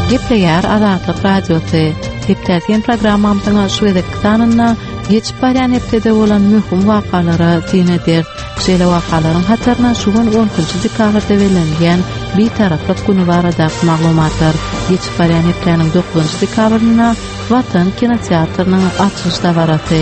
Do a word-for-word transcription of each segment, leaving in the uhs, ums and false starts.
Gepleýär Azatlyk Radiosy. Hepdäsiň programmamyzyň şu gezekki sanynda geçip barýan hepdede bolan möhüm wakalara syn ederis. Şeýle wakalaryň hataryna şu gün on ikinji dekabrda bellenilýän Bitaraplyk güni baradaky maglumatlar. Geçip barýan hepdäniň dokuzynjy dekabrynda Watan kinoteatrynyň açylyş dabarasy.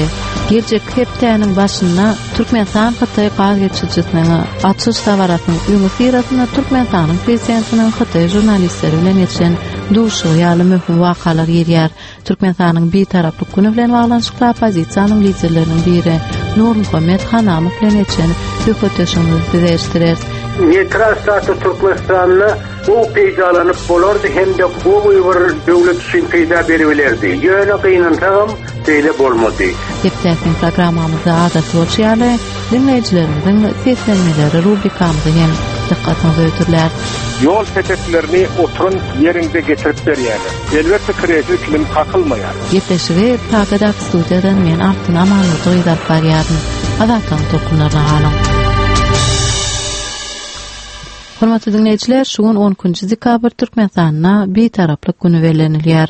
Geljek hepdäniň başynda Türkmenistan Hytaý gaz geçirijisiniň açylyş dabarasynyň öňüsyrasynda Türkmenistanyň prezidentiniň Hytaý žurnalistleri bilen geçen duşuşygy ýaly möhüm wakalar girýär. Türkmenistanyň Bitaraplyk güni bilen baglanyşykly oppozisiýanyň liderleriniň biri Nurmuhammet Hanamow bilen geçen söhbetdeşligimizi size eşitdireris. Neutral status Türkmenistanda bu peýdalanyp bolardy hem-de gowy bir döwlet üçin peýda beribilerdi. Ýöne gynansagam beýle bolmady. Hepdäsiň programmamyzda adaty bolşy ýaly dinleýjilerimiziň seslenmeleri rubrikamyzy hem dykgatyňyza ötürler. Ýol peteklerini oturan ýerinde getirip berýärler. Elbetde kredi kilim kakylmaýar. Gepleşigi Pragadaky studiýadan men Altyn Amanurdy gyz alyp barýaryn. Azatlygyň tolkunlaryna galyň. Hormatly dinleýjiler, şu gün on ikinji dekabr Türkmenistanda Bitaraplyk güni bellenilýär.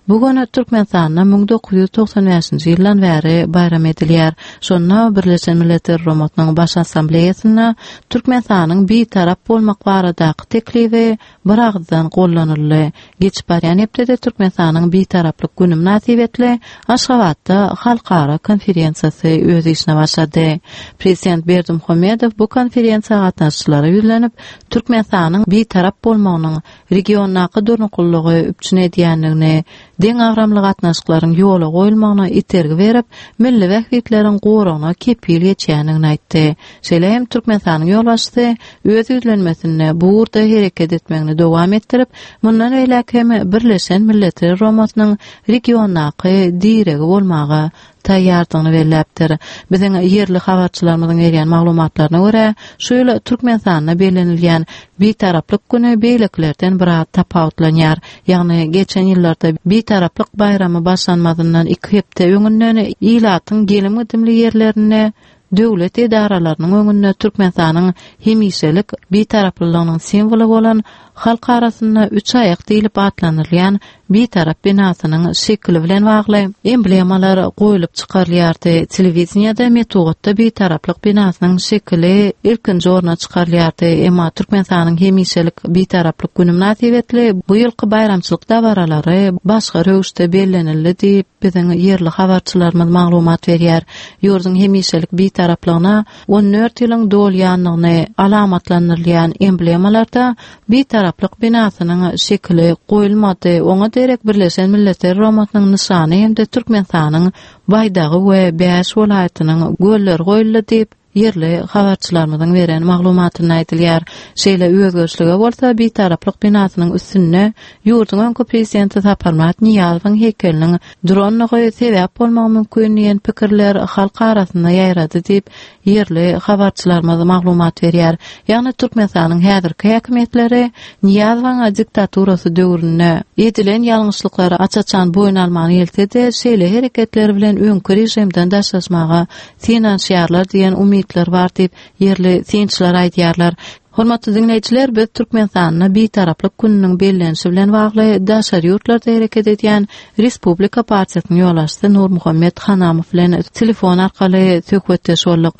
Bu gün Türkmenistanda müň dokuz ýüz togsan bäşinji ýyldan bäri bayram edilýär. Şonda Birleşen Milletler Guramasynyň Baş Assambleýasynda Türkmenistanyň bitarap bolmak baradaky teklibi bir agızdan gollanyldy. Geçip barýan hepdede Türkmenistanyň Bitaraplyk güni mynasybetli Aşgabatda halkara konferensiýasy öz işine başlady. Prezident Berdimuhamedow bu konferensiýa gatnaşyjylara ýüzlenip, Türkmenistanyň bitarap bolmagynyň regiondaky durnuklylygy üpjün edýändigini, deňagramly gatnaşyklaryň ýola goýulmagyna itergi berip, milli bähbitleriň goragyna kepil geçýändigini aýtdy. Şeýle hem Türkmenistanyň ýolbaşçysy öz ýüzlenmesinde bu ugurda hereket etmegini dowam etdirip, mundan beýläk hem Birleşen Milletler Guramasynyň regiondaky diregi bolmaga taýýardygyny belläpdir. Biziň ýerli habarçylarymyzyň berýän maglumatlaryna görä, şu ýyl Türkmenistanda bellenilýän Bitaraplyk güni beýlekilerden biraz tapawutlanýar. Ýagny geçen ýyllarda Bitaraplyk baýramy başlanmazyndan iki hepde öňünden ilatyň gelim-gidimli ýerlerinde döwlet edaralarynyň öňünde Türkmenistanyň hemişelik bitaraplylygynyň simwoly bolan halk arasynda üç aýak diýlip atlandyrylýan bitarap binasynyň şekili bilen bagly emblemalar goýlup çykarylýardy. Telewideniýede metbugatda bitaraplyk binasynyň şekili ilkinji orna çykarylýardy. Emma Türkmenistanyň hemişelik bitaraplyk güni mynasybetli bu ýylky baýramçylyk dabaralary başga röwüşde bellenildi diýip biziň ýerli habarçylarymyz maglumat berýär. Ýurduň hemişelik bitaraplygyna on dört ýylyň dolýanlygyny alamatlandyrylýan emblemalarda bitaraplyk binasynyň şekili goýulmady. Oňa derek Birleşen Milletler Guramasynyň nyşany hem-de Türkmenistanyň baýdagy we bäş welaýatynyň gölleri goýuldy diýip ýerli habarçylarymyzyň beren maglumatynda aýdylýar. Şeýle özgerişlige bolsa bitaraplyk binasynyň üstünde ýurduň öňki prezidenti Saparmyrat Nyýazowyň heykeliniň duranlygy sebäp bolmagy mümkin diýen pikirler halk arasynda ýaýrady diýip ýerli habarçylarymyz maglumat berýär. Ýagny Türkmenistanyň häzirki häkimiýetleri Nyýazowyň diktaturasy döwründe edilen ýalňyşlyklary aç-açan boýun alman gelse-de, şeýle hereketler bilen öňki režimden daşlaşmaga synanyşýarlar diýen umytlar bar diýip ýerli synçylar aýdýarlar. Hormatly dinleýjiler, biz Türkmenistanda Bitaraplyk gününiň bellenişi bilen bagly daşary ýurtlarda hereket edýän Respublika partiýasynyň ýolbaşçysy Nurmuhammet Hanamow bilen telefon arkaly söhbetdeş bolduk.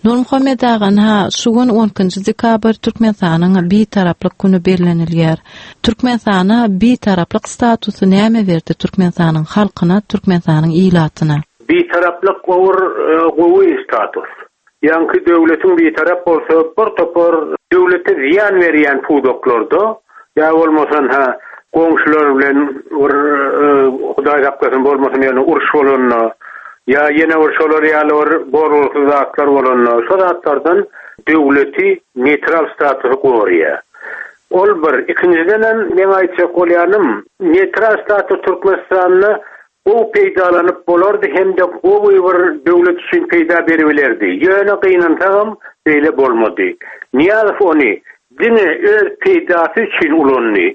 Nurmuhammet aga, ha, şu gün on ikinji dekabr Türkmenistanyň Bitaraplyk güni bellenilýär. Türkmenistana Bitaraplyk statusy näme berdi Türkmenistanyň halkyna, Türkmenistanyň ilatyna? Bitaraplyk gowur, e, gowy status. Ýaňky döwletiň bitarap bolsa bir topar döwlete ziýan berýän pudaklarda ýa bolmasan ha goňşular bilen bir, e, Hudaý saklasyn bolmasyn ýöne uruş bolanda ýa ýene bir şolar ýaly bir bolgusyz zatlar bolanda şo zatlardan döwleti neutral statusy goraýar. Ol bir, ikinjiden hem men aýtjak bolýanym, neutral status Türkmenistanda gowy peýdalanyp bolardy hem-de gowy bir döwlet üçin peýda beribilerdi. Ýöne gynansagam beýle bolmady. Nyýazow ony diňe öz peýdasy üçin ulandy.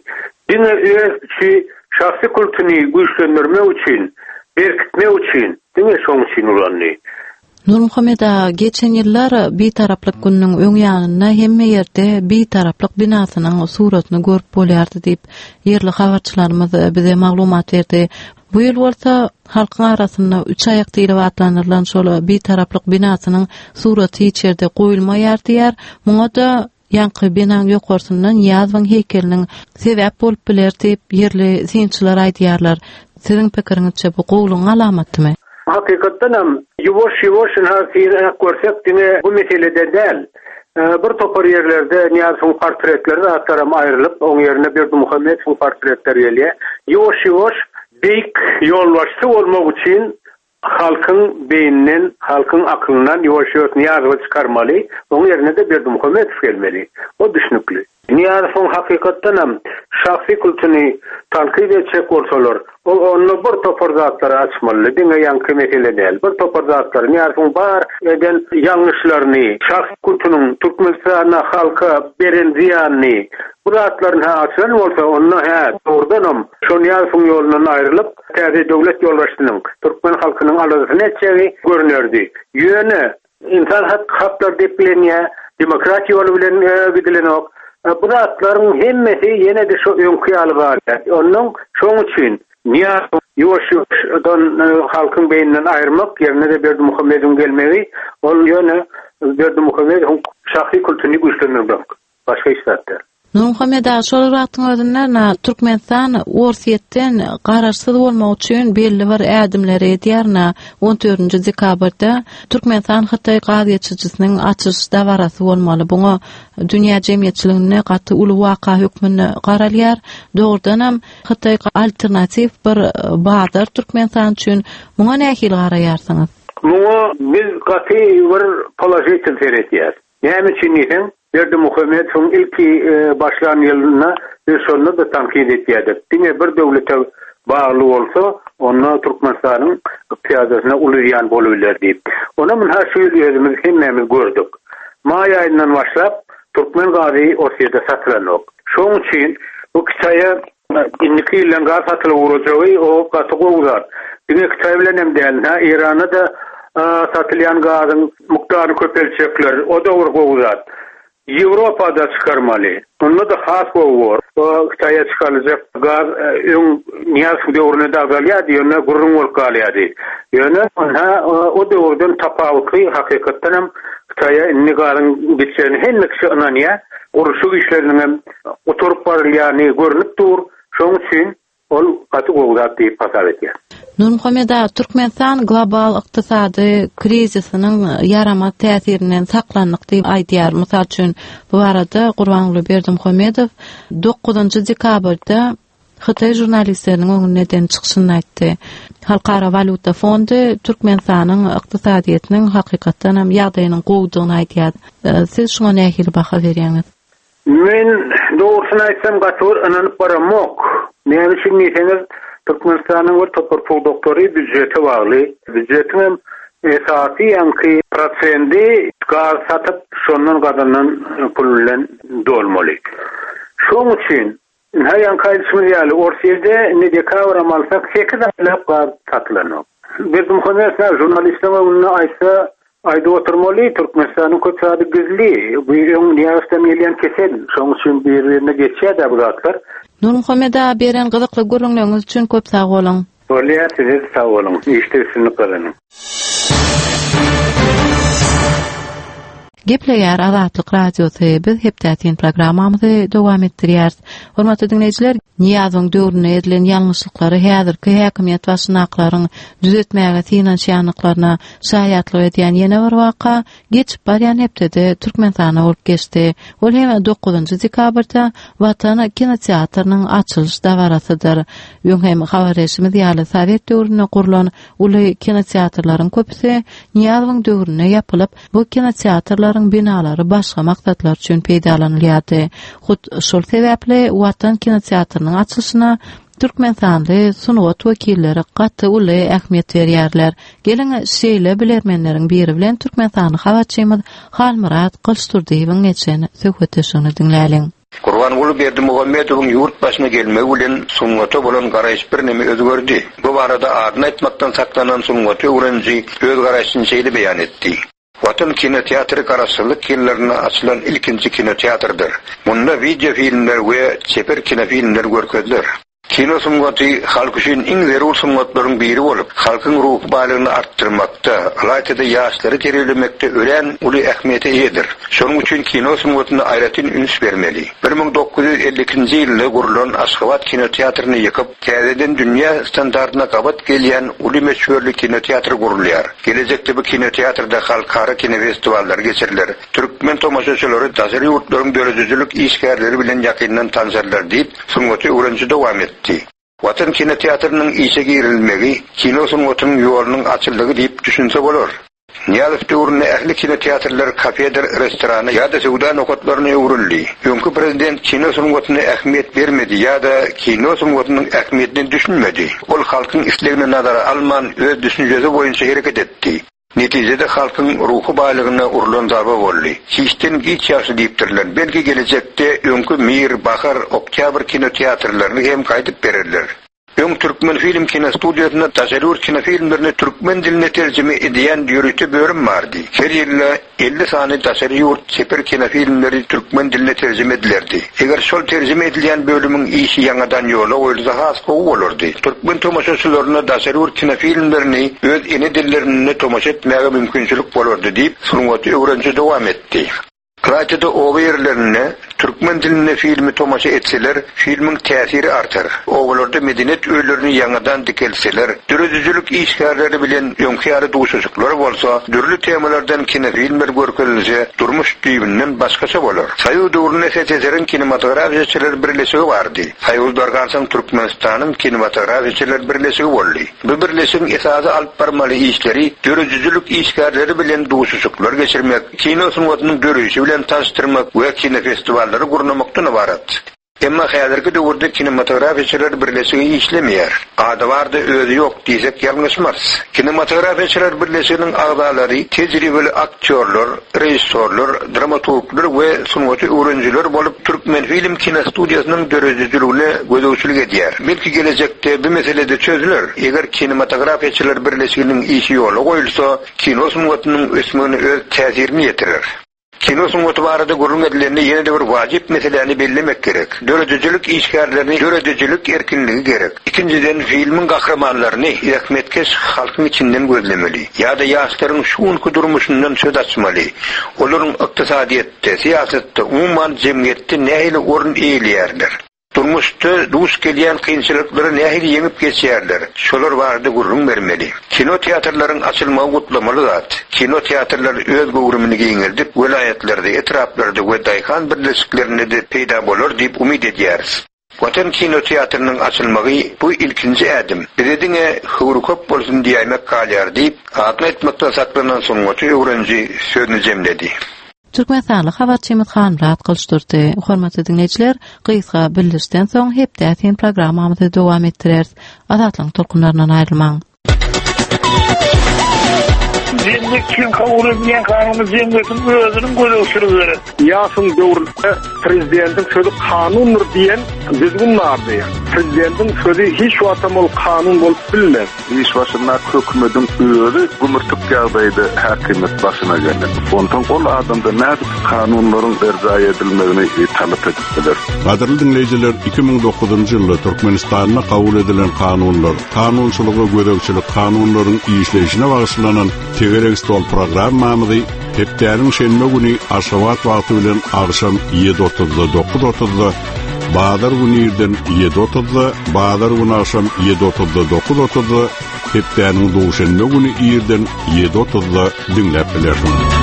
Diňe öz üçi şahsy kultuny güýçlendirmek üçin, berkitmek üçin diňe şoň üçin ulandy. Nurmuhammet aga, geçen ýyllar Bitaraplyk gününiň öň ýanynda hemme ýerde Bitaraplyk binasynyň suratyny görüp bolýardy diýip, ýerli habarçylarymyz bize maglumat berdi. Bu ýyl bolsa halkyň arasynda üç aýak diýlip atlandyrylan şol Bitaraplyk binasynyň suraty hiç ýerde goýulmaýar diýýär. Muňa-da ýaňky binaň ýokarsynda Nyýazowyň heýkeliniň sebäp bolup biler diýip, ýerli synçylar aýdýarlar. Siziň pikiriňizçe bu gowulygyň alamatymy? Hakykatdan hem ýuwaş-ýuwaş ynha syrak görsek diňe bu meselede däl. Bir topar ýerlerde Nyýazowyň portretleri zatlaram aýrylyp, oň ýerine Berdimuhamedowyň portretleri gelýär. Ýuwaş-ýuwaş beýik ýolbaşçy bolmak üçin halkyň beýninden, halkyň akylyndan ýuwaş-ýuwaş Nyýazowy çykarmaly, oň ýerine-de Berdimuhamedow gelmeli. O düşnükli. Nyýazowyň hakykatdan hem şahsy kultuny tankyt etjek bolsalar, ol onda bir topar zatlary açmaly, diňe ýaňky mesele däl. Bir topar zatlary Nyýazowyň bar eden ýalňyşlaryny, şahsy kultunyň Türkmenistana halka beren zyýanyny, bu zatlaryny ha açan bolsa, onda hä, dogrudanam şo Nyýazowyň ýolundan aýrylyp, täze döwlet ýolbaşçysynyň türkmen halkynyň aladasyny etjegi görünerdi. Ýöne insan hak haklar deplenýär, demokratiýa ýoly bilen gidilenok. Bu zatlaryň hemmesi ýene-de şo öňki ýaly galýar. Ondan şoň üçin Nyýazow ýuwaş-ýuwaşdan halkyň beýninden aýyrmak, ýerine-de Berdimuhamedowyň gelmegi, ol ýöne Berdimuhamedowyň şahsy kultuny güýçlendirmek, başga hiç zat däl. Nurmuhammet aga, şol wagtyň özünde na Türkmenistan Orsýetden garaşsyz bolmak üçin belli bir ädimleri edýär na on dördünji dekabrda Türkmenistan Hytaý gaz geçirijisiniň açylyş dabarasy bolmaly. Buňa dünýä jemgyýetçiliginde gaty uly waka hökmünde garalýar. Dogrudanam Hytaý alternatiw bir bazar Türkmenistan üçin. Muňa nähili garaýarsyňyz? Muňa biz gaty bir položitel seretýäris. Näme üçin diýseň, Berdimuhamedowyň ilki başlan ýylynda biz şonda da tankyt etýärdik. Diňe bir döwlete bagly bolsa, onda Türkmenistanyň ykdysadyýatyna uly zyýan bolup biler diýip. Ona munha şu ýyl özümiz hemmämiz gördük. Maý aýyndan başlap türkmen gazy Orsýete satylanok. Şoň üçin bu Hytaýa indiki ýyldan gaz satylyp ugrajagy o gaty gowy zat. Diňe Hytaý bilen hem däl, ha Eýrana da satylýan gazyň mukdaryny köpeltjekler, o da bir gowy zat. Ýewropada çykarmaly. Onda da has gowy bor. O Hytaýa çykaryljak gaz öň Nyýazow döwründe de azalýardy, ýöne gürrüň bolup galýardy. Ýöne ha o döwürden tapawutly hakykatdan hem Hytaýa indi gazyň gitjegini hemme kişi ynanýar. Gurluşyk işleriniň hem oturyp barylýany görünip dur. Şoň üçin ol gaty gowy zat diýip hasap edýär. Nurmuhammet aga, Türkmenistan global ykdysady krizisiniň ýaramaz täsirinden saklandyk diýip aýdýar. Mysal üçin, bu barada Gurbanguly Berdimuhamedow dokuzynjy dekabrda Hytaý žurnalistleriniň öňünde eden çykyşynda aýtdy. Halkara walýuta fondy Türkmenistanyň ykdysadyýetiniň hakykatdan hem ýagdaýynyň gowudygyny aýdýar. Siz şuňa nähili baha berýäňiz? Men dogrusyny aýtsam gaty bir ynanyp baramok. Näme üçin diýseňiz, Türkmenistanyň bir topar pudaklary býujete bagly. Býujetiň hem esasy ýaňky prosendi gaz satyp, şondan gazanan pul bilen dolmaly. Şoň üçin ha ýaňky aýdyşymyz ýaly Orsýetde indi dekabram alsak sekiz aýlap gaz satylanok. Berdimuhamedow žurnalistleriň öňünde aýtsa, aýdyp oturmaly, Türkmenistanyň köp zady gizli. Bu öň Nyýazowdan gelýän kesel, şoň üçin bir-birine geçýär-de bu zatlar. Nurmuhammet aga, beren gyzykly gürrüňleriňiz üçin köp sag boluň. Bolýar, size sag boluň. Işde üstünlik gazanyň. Gepleýär Azatlyk Radiosy. Biz hepdäsin programmamyzy dowam etdirýäris. Hormatly dinleýjiler, Nyýazowyň döwründe edilen ýalňyşlyklary häzirki häkimiýet başyndakylaryň düzetmäge synanyşýandyklaryna şaýatlyk edýän ýene bir waka geçip barýan hepdede Türkmenistanda bolup geçdi. Ol hem dokuzynjy dekabrda Watan kinoteatrynyň açylyş dabarasydyr. Öň hem habar berşimiz ýaly Sowet döwründe gurlan uly kinoteatrlaryň köpüsi Nyýazowyň döwründe ýapylyp, bu kinoteatrlaryň binalary başga maksatlar üçin peýdalanylýardy. Hut şol sebäpli Watan kinoteatrynyň açylyşyna Türkmenistanly sungat wekilleri gaty uly ähmiýet berýärler. Geliň şeýle bilermenleriň biri bilen Türkmenistanly habarçymyz Halmyrat Gylyçdurdyýewiň geçen söhbetdeşligini diňläliň. Gurbanguly Berdimuhamedowyň ýurt başyna gelmegi bilen sungata bolan garaýyş birneme özgerdi. Bu barada adyny aýtmakdan saklanan sungaty öwreniji öz garaýşyny şeýle beýan etdi. Watan kinoteatry Garaşsyzlyk ýyllarynda açylan ilkinji kinoteatrdyr. Munda wideo filmler we çeper kinofilmler görkeziler. Kino sungaty halk üçin iň zerur sungatlaryň biri bolup, halkyň ruhy baýlygyny artdyrmakda, ylaýta-da ýaşlary terbiýelemekde örän uly ähmiýete eýedir. Şonuň üçin kino sungatyna aýratyn üns bermeli. Bir müň dokuz ýüz elli ikinji ýylda gurlan Aşgabat kinoteatryny ýykyp, täzeden dünýä standartyna gabat gelýän uly möçberli kinoteatr gurulýar. Gelejekde bu kinoteatrda halkara kinofestiwallary geçiriler. Türkmen tomaşaçylary daşary ýurtlaryň döredijilik işgärleri bilen ýakyndan tanşarlar diýip, sungaty öwreniji dowam etdi. Watan kinoteatrynyň işe girilmegi kino sungatynyň ýolunyň açyldygy diýip düşünse bolar. Nyýazow döwründe ähli kinoteatrlar kafedir, restorana ýa-da söwda nokatlaryna öwrüldi. Öňki prezident kino sungatyna ähmiýet bermedi ýa-da kino sungatynyň ähmiýetine düşünmedi. Ol halkyň islegini nazara alman öz düşünjesi boýunça hereket etdi. Netijede halkyň ruhy baýlygyna urlan zarba boldy. Hiçden giç ýagşy diýipdirler. Belki gelejekde öňki Mir, Bahar, Oktýabr kinoteatrlaryny hem gaýdyp bererler. Öň Türkmen film kinostudiýasynda daşary ýurt kinofilmlerini türkmen diline terjime edýän ýörite bölüm bardy. Her ýylda elli sany daşary ýurt çeper kinofilmleri türkmen diline terjime edilerdi. Eger şol terjime edilýän bölümiň işi ýaňadan ýola goýulsa has gowy bolardy. Türkmen tomaşaçylaryna daşary ýurt kinofilmlerini öz ene dillerinde tomaşa etmäge mümkinçilik bolardy diýip, sungaty öwreniji dowam etdi. Ylaýta-da oba ýerlerinde türkmen dilinde filmi tomaşa etseler, filmiň täsiri artar. Obalarda medeniýet öýlerini ýaňadan dikeltseler, döredijilik işgärleri bilen öňki ýaly duşuşyklar bolsa, dürli temalardan kinofilmler görkezilse, durmuş düýbünden başgaça bolar. Soýuz döwründe S S S R-iň kinematografiýaçylar birleşigi bardy. Soýuz dargansoň Türkmenistanyň kinematografiýaçylar birleşigi boldy. Bu birleşigiň esasy alyp barmaly işleri döredijilik işgärleri bilen duşuşyklar geçirmek, kino sungatynyň döreýşi bilen tanışdyrmak we kinofestivallary gurnamakdan ybarat. Emma häzirki döwürde kinematografiýaçylar birleşigi işlemeýär. Ady bardy, özi ýok diýsek ýalňyşmarys. Kinematografiýaçylar birleşiginiň agzalary tejribeli aktýorlar, režissýorlar, dramaturglar we sungaty öwrenijiler bolup Türkmen film kinostudiýasynyň döredijiligine gözegçilik edýär. Belki gelejekde bu meselede çözüler. Eger kinematografiýaçylar birleşiginiň işi ýola goýulsa, kino sungatynyň ösmegine öz täsirini ýetirer. Kino sungaty barada gürrüň edilende ýene-de bir wajyp meseläni bellemek gerek. Döredijilik işgärlerini döredijilik erkinligi gerek. Ikinjiden filmiň gahrymanlaryny zähmetkeş halkyň içinden gözlemeli. Ýa-da ýaşlaryň şu günki durmuşyndan söz açmaly. Olaryň ykdysadyýetde, syýasatda, umuman jemgyýetde nähili orun eýeleýärler? Durmuşda duş gelýän kynçylyklary nähili ýeňip geçýärler? Şolar barada gürrüň bermeli. Kino teatrlaryň açylmagy gutlamaly zat. Kino teatrlar öz göwrümini giňeldip, welaýatlarda, etraplarda we daýhan birleşiklerinde-de peýda bolar diýip umyt edýäris. Watan kino teatrynyň açylmagy bu ilkinji ädim. Bize diňe höwri köp bolsun diýmek galýar diýip, adyny aýtmakdan saklanan sungaty öwreniji sözüni jemledi. Türkmenistanly habarçymyz Hanmyrat Gylyçdurdy. Hormatly diňleýjiler, gysga bildirişden soň hepde sen programmamyzy dowam etdireris. Azatlygyň tolkunlaryndan aýrylmaň. Jemgyýet üçin kabul edilýän kanuny jemgyýetiň özüniň gözegçiligi gerek. Nyýazowyň döwründe prezidentiň sözi kanundyr diýen düzgün bardy. Prezidentiň sözi hiç wagtam ol kanun bolup bilmez. Iş başynda hökümetiň özi gümürtik ýagdaýda häkimiýet başyna geldi. Ondan ol adamda nädip kanunlaryň berjaý edilmegini talap edip biler. Gadyrly dinleýjiler, iki müň dokuzynjy ýylda Türkmenistanda kabul edilen kanunlar, kanunçylyga gözegçilik kanunlaryň işleýşine bagyşlanan Tegerek stol programmamyzy hepdäniň şenbe güni Aşgabat wagty bilen agşam ýedi otuzda dokuz otuzda, bazar güni irden ýedi otuzda, bazar güni agşam ýedi otuzda dokuz otuzda, hepdäniň duşenbe güni irden ýedi otuzda diňläp bilersiňiz.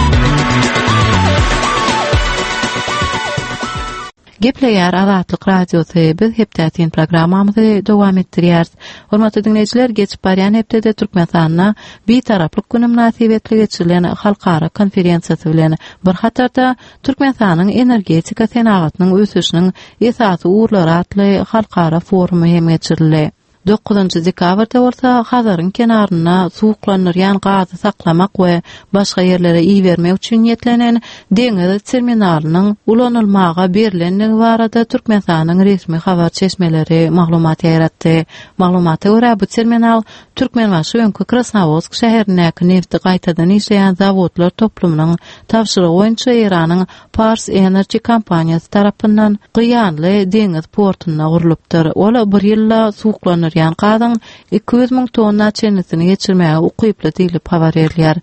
Gepleýär Azatlyk Radiosy. Biz hepdätin programmamyzy dowam etdirýäris. Hormatly dinleýjiler, geçip barýan hepdede Türkmenistanda Bitaraplyk güni mynasybetli geçirilen halkara konferensiýasy bilen bir hatarda Türkmenistanyň energetika senagatynyň ösüşiniň esasy ugurlary atly halkara forumy hem geçirildi. Dokuzynjy dekabrda bolsa Hazaryň kenarynda suwuklandyrýan gazy saklamak we başga ýerlere ibermek üçin niýetlenen deňiz terminalynyň ulanylmaga berlendigi barada Türkmenistanyň resmi habar çeşmeleri maglumat ýaýratdy. Maglumata görä, bu terminal Türkmenbaşy öňki Krasnowodsk şäherindäki nefti gaýtadan işleýän zawodlar toplumynyň tabşyrygy boýunça Eýranyň Pars Energy kompaniýasy tarapyndan Gyýanly deňiz portunda gurlupdyr. Ol bir ýylda suwuklandyrýan gazyň iki ýüz müň tonna çenlisini geçirmäge ukyply diýlip habar berilýär.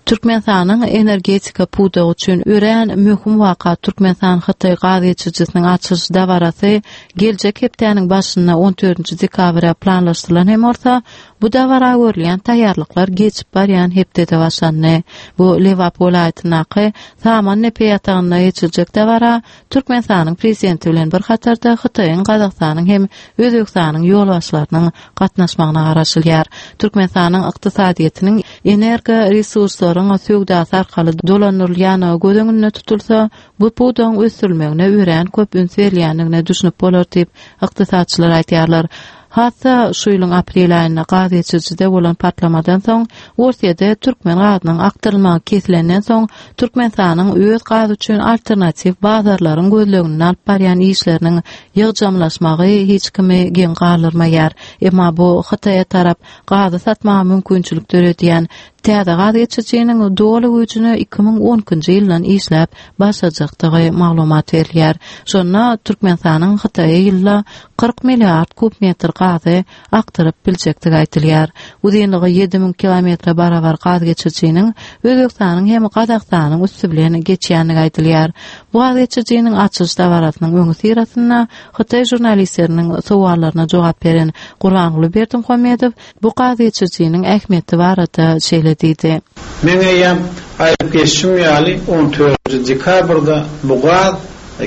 Türkmenistanyň energetika pudagy üçin örän möhüm waka Türkmenistan-Hytaý gaz geçirijisiniň açylyş dabarasy geljek hepdäniň başynda on dördünji dekabra planlaşdyrylan hem bolsa, bu dabara görülýän taýýarlyklar geçip barýan hepdede başlandy. Bu Lebap welaýatyndaky Samandepe ýatagynda geçiriljek dabara Türkmenistanyň Prezidenti bilen bir hatarda Hytaýyň, Gazagystanyň hem Özbegistanyň ýolbaşçylarynyň gatnaşmagyna garaşylýar. Türkmenistanyň ykdysadyýetiniň energo resurslaryň söwdasy arkaly dolandyrylýandygy göz öňünde tutulsa, bu pudagyň ösdürilmegine örän köp üns berilýändigine düşünip bolar diýip, ykdysatçylar aýdýarlar. Hatda şu ýylyň aprel aýynda gaz geçirijide bolan partlamadan soň, Orsýede türkmen gazynyň akdyrylmagy kesilenden soň, Türkmenistanyň öz gazy üçin alternatiw bazarlaryň gözleginde alyp barýan işleriniň ýygjamlaşmagy hiç kimi geň galdyrmaýar. Emma bu Hytaýa tarap gazy satmaga mümkinçilik döredýän täze gaz geçirijiniň doly güýjüne iki müň on ikinji ýyldan işläp başlajakdygy maglumat berilýär. Şonda Türkmenistanyň Hytaýa ýylda kyrk milliard kub metr gazy akdyryp biljekdigi aýdylýar. Uzynlygy ýedi müň kilometre barabar gaz geçirijiniň Özbegistanyň hem Gazagystanyň üsti bilen geçýändigi aýdylýar. Bu gaz geçirijiniň açylyş dabarasynyň öňüsyrasynda Hytaý žurnalistleriniň sowallaryna jogap beren Gurbanguly Berdimuhamedow bu gaz geçirijiniň ähmiýeti barada şeýle diýdi. Men eýýäm aýdyp geçişim ýaly on dördünji dekabrda bu gaz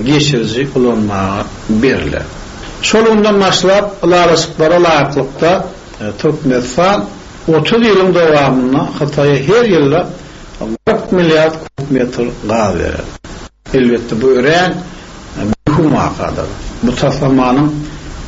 geçiriji ulanmaga berler. Şol günden başlap ylalaşyklara laýyklykda Türkmenistan otuz ýylyň dowamynda Hytaýa her ýylda kyrk milliard kub metr gaz berer. Elbetde bu örän möhüm wakadyr. Bu taslamanyň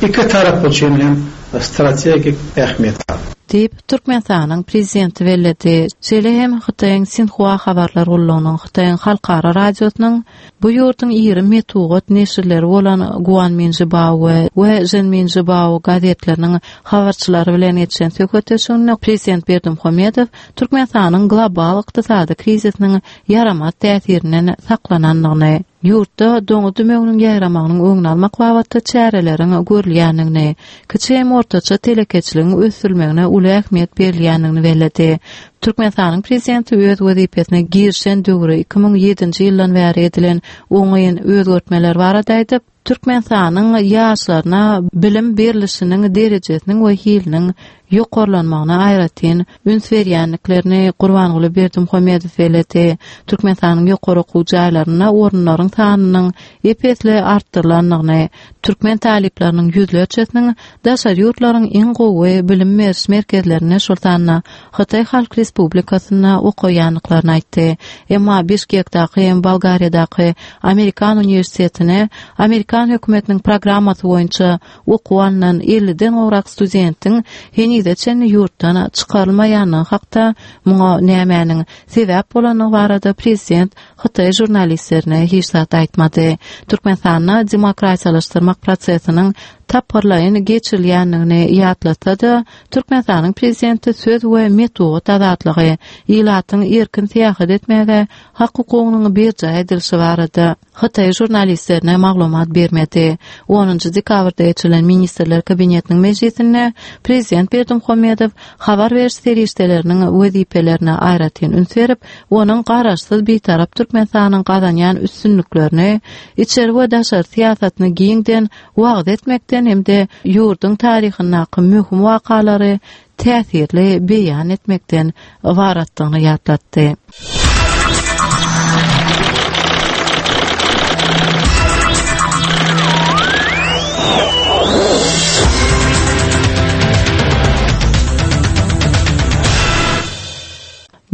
iki tarapy üçin hem strategik ähmiýeti bar. Diýip, Türkmenistanyň prezidenti belledi. Şeýle hem Hytaýyň Sinhua habarlar gullugynyň, Hytaýyň halkara radiosynyň bu ýurduň iri metbugat neşirleri bolan Guanmin Zhibao we we Zhenmin Zhibao gazetleriniň habarçylary bilen geçen söhbetdeşliginde prezident Berdimuhamedow Türkmenistanyň global ykdysady krizisiniň ýaramaz täsirinden saklanandygyny, ýurtda doňuz dümewiniň ýaýramagynyň öňüni almak babatda çäreleriň görülýändigini, kiçi hem ortaça telekeçiligiň ösdürilmegine uly ähmiýet berilýändigini belledi. Türkmenistanyň prezidenti öz wezipesine girişen döwri iki müň ýedinji ýyldan bäri edilen oňyn özgertmeler barada aýdyp, Türkmenistanyň ýaşlaryna bilim berilişiniň derejesiniň we hiliniň ýokarlanmagyna aýratyn üns berýändiklerini Gurbanguly Berdimuhamedow belledi. Türkmenistanyň ýokary okuw jaýlarynda orunlaryň sanynyň ep-esli artdyrylandygyny, türkmen talyplarynyň ýüzlerçesiniň daşary ýurtlaryň iň gowy bilim beriş merkezlerinde, şol sanda Hytaý Halk Respublikasynda okaýandyklaryny aýtdy. Emma Bişkekdäki hem Bolgariýadaky Amerikan uniwersitetine Amerikan hökümetiniň programmasy boýunça okuw alnan elliden gowrak studentiň henize çenli ýurtdan çykarylmaýandygy hakda muňa nämäniň sebäp bolandygy barada prezident Hytaý žurnalistlerine hiç zat aýtmady. Türkmenistanda demokratiýalaşdyrmak prosesiniň tapgyrlaýyn geçirilýändigini ýatlatsa-da, Türkmenistanyň prezidenti söz we metbugat azatlygy, ilatyň erkin syýahat etmäge hak hukugynyň berjaý edilişi barada Hytaý žurnalistlerine maglumat bermedi. Onunjy dekabrda geçirilen Ministrler Kabinetiniň mejlisinde prezident Berdimuhamedow habar beriş serişdeleriniň wezipelerine aýratyn üns berip, onuň garaşsyz bitarap Türkmenistanyň gazanýan üstünliklerini, içeri we daşary syýasatyny giňden wagyz etmekden hem-de ýurduň taryhyndaky möhüm wakalary täsirli beýan etmekden ybaratdygyny ýatlatdy.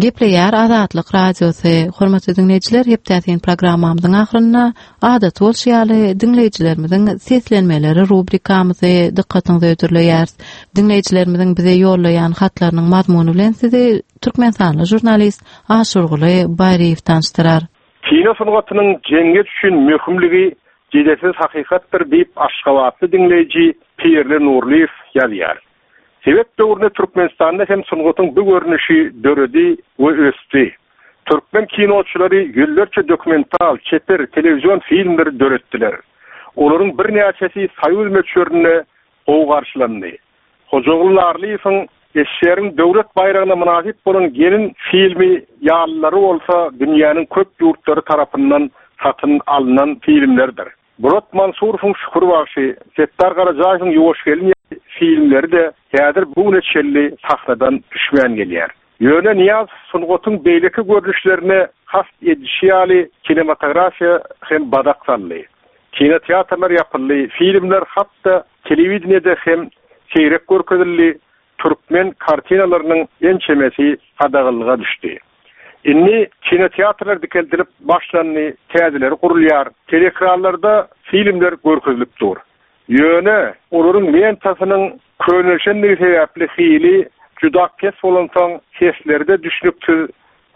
Gepleýär Azatlyk Radiosy. Hormatly diňleýjiler, hepdäsin programmamyzyň ahyrynda adaty bolşy ýaly diňleýjilerimiziň seslenmeleri rubrikamyzy dykgatyňyza hödürleýäris. Diňleýjilerimiziň bize ýollaýan hatlarynyň mazmuny bilen sizi Türkmenistanly žurnalist Aşurguly Baýryýew tanyşdyrar. Kino sungatynyň jemgyýet üçin möhümligi jedelsiz hakykatdyr diýip Aşgabatly diňleýji Pirli Nurlyýew ýazýar. Sowet döwründe Türkmenistanda hem sungatyň bu görnüşi döredi we ösdi. Türkmen kinoçylary ýüzlerçe dokumental, çeper, telewizion filmleri döretdiler. Olaryň birnäçesi soýuz möçberinde gowy garşylandy. Hojaguly Narlyýewiň Eşşeriň döwlet baýragyna mynasyp bolan gelin filmi ýalylary bolsa dünýäniň köp ýurtlary tarapyndan satyn alnan filmlerdir. Burat Mansurowyň Şükür bagşy, Setdar Garajaýewiň Ýuwaş gelin filmleri de häzir bu güne çenli sahnadan düşmän gelýär. Ýöne Niýaz sungatyň beýleki görnüşlerine has edişi ýaly kinematografiýa hem badak saldy. Kinoteatrlar ýapyldy, filmler hatda telewideniýede hem seýrek görkezildi, türkmen kartinalarynyň ençemesi gadaganlyga düşdi. Indi kinoteatrlar dikeldilip başlandy, täzeleri gurulýar, teleekranlarda filmler görkezilip dur. Ýöne olaryň lentasynyň könelşenligi sebäpli hili juda pes bolansoň seslerde düşnüksiz,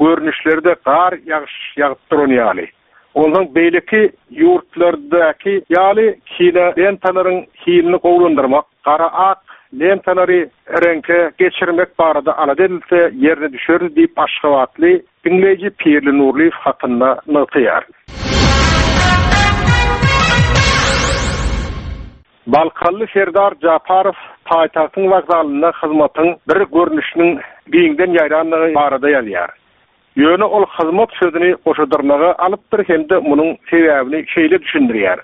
görnüşlerde gar ýagyş ýagyp duran ýaly. Ondan beýleki ýurtlardaky ýaly kino lentalaryň hilini gowulandyrmak, gara ak lentalary reňke geçirmek barada alada edilse ýerine düşer diýip Aşgabatly diňleýji Pirli Nurlyýew hatynda nygtaýar. Balkanly Serdar Japarow paýtagtyň wokzalynda hyzmatyň bir görnüşiniň giňden ýaýrandygy barada ýazýar. Ýöne ol hyzmat sözüni goşadyrnaga alypdyr hem-de munuň sebäbini şeýle düşündirýär.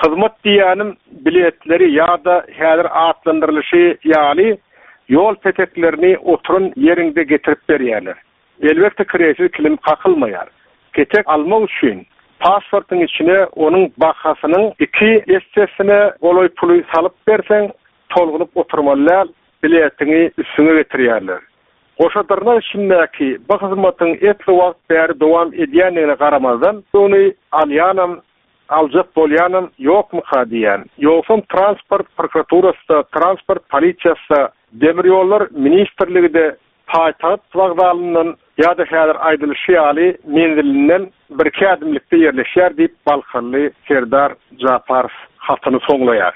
Hyzmat diýýänim biletleri ýa-da häzir atlandyrylyşy ýaly ýol peteklerini oturan ýeriňde getirip berýärler. Elbetde kiresiz kilim kakylmaýar. Petek almak üçin pasportyň içine onuň bahasynyň iki essesine golaý puly salyp berseň, tolgunyp oturmaly däl, biletiňi üstüňe getirýärler. Goşadyrnak içindäki bu hyzmatyň etli wagt bäri dowam edýändigine garamazdan, ony alýanam, aljak bolýanam ýokmuka diýen. Ýogsam transport prokuraturasy, transport polisiýasy, demir ýollar ministrligi-de paýtagt wokzalyndan ýa-da häzir aýdylyşy ýaly menzilinden bir iki ädimlikde ýerleşýär diýip Balkanly Serdar Japarow hatyny soňlaýar.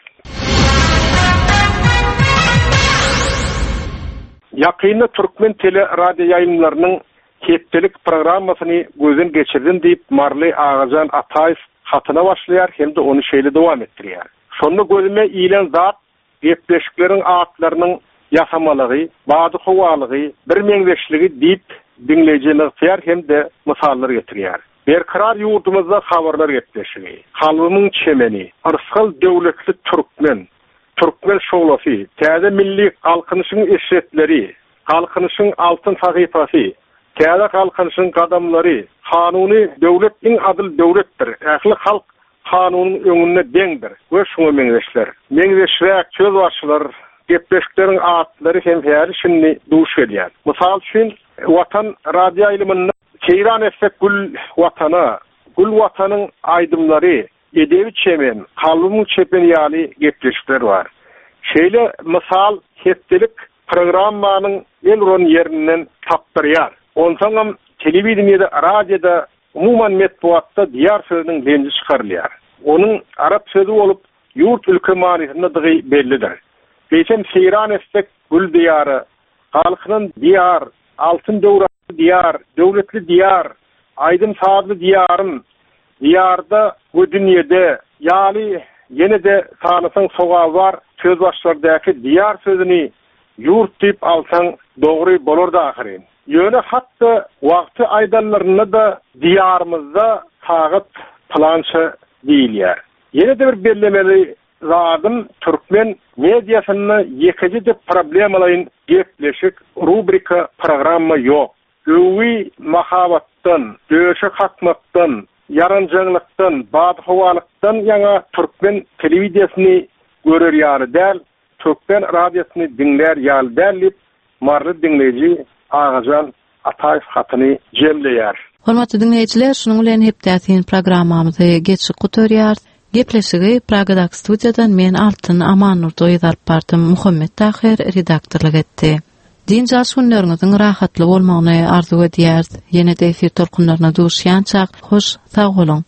Ýakynda Türkmen tele radio ýaýlymlarynyň hepdelik programmasyny gözden geçirdim diýip Marly Agajan Ataýew hatyna başlaýar hem-de ony şeýle dowam etdirýär. Şonda gözüme ilen zat gepleşikleriň atlarynyň ýasamalygy, bady howalygy, bir meňzeşligi diýip diňleýji nygtaýar hem-de mysallar getirýär. Berkarar ýurdumyzda habarlar gepleşigi, Kalbymyň çemeni, Yrsgal döwletli türkmen, Türkmen şowlasy, täze milli galkynyşyň eşretleri, galkynyşyň altyn sahypasy, täze galkynyşyň gadamlary, kanuny döwlet iň adyl döwletdir. Ähli halk kanunyň öňünde deňdir we şuňa meňzeşler. Meňzeşräk söz başlar, gepleşikleriň atlary hem häli şindi duş gelýär. Mysal üçin Watan radio ýaýlymynda Seýran etsek gül watana, gül watanyň aýdymlary, edebi çemen, kalbymyň çepeni ýaly gepleşikler bar. Şeýle mysal hepdelik programmanyň el uran ýerinden tapdyrýar. Onsoňam telewideniýede, radioda, umuman metbugatda diýar sözüniň lenji çykarylýar. Onuň arap sözü bolup ýurt ülke manysyndadygy bellidir. Eýsem seýran etsek gül diýary, galkynan diýar, altyn döwranly diýar, döwletli diýar, aýdym sazly diýarym, diýarda we dünýede ýaly ýene-de sanasaň sogaby bar söz başlardaky diýar sözüni ýurt diýip alsaň dogry bolardy ahyryn. Ýöne hatda wagty aýdanlarynda da diýarymyzda sagat plança diýilýär. Ýene-de bir bellemeli zadym türkmen mediasynda ýekeje-de problemalaýyn gepleşik, rubrika, programma ýok. Öwi mahabatdan, döşe kakmakdan, ýaranjaňlykdan, badhowalykdan ýaňa türkmen telewiziýasyny görer ýaly däl, türkmen radiosyny diňlär ýaly däl diýip Marly diňleýji Agajan Ataýew hatyny jemleýär. Hormatly dinleýjiler, şunuň bilen hepdäsin programmamyzy geçip gutarýarys. Gepleşigi Pragadak studiýadan men Altyn Amannurdoýew alyp bardym. Muhammet Tahir redaktorlyk etdi. Dynç alyş günleriňiziň rahatly bolmagyny arzuw edýäris. Ýene-de efir tolkunlaryna duşýançak, hoş sag boluň.